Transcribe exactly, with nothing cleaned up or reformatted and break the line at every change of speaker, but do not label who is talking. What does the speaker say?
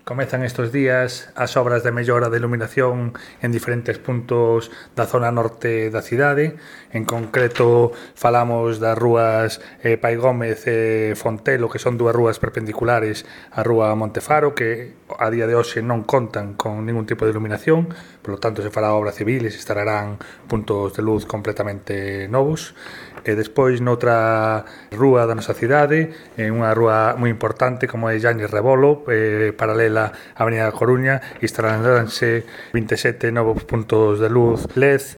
Comezan estes días as obras de mellora de iluminación en diferentes puntos da zona norte da cidade. En concreto, falamos das rúas eh, Pai Gómez e Fontelo, que son dúas rúas perpendiculares á rúa Montefaro, que a día de hoxe non contan con ningún tipo de iluminación, por lo tanto se fará obra civil e se instalarán puntos de luz completamente novos. E despois, noutra rúa da nosa cidade, en unha rúa moi importante como é Yañez Rebolo, eh, paralela a Avenida da Coruña, instalaránse vinte e sete novos puntos de luz L E D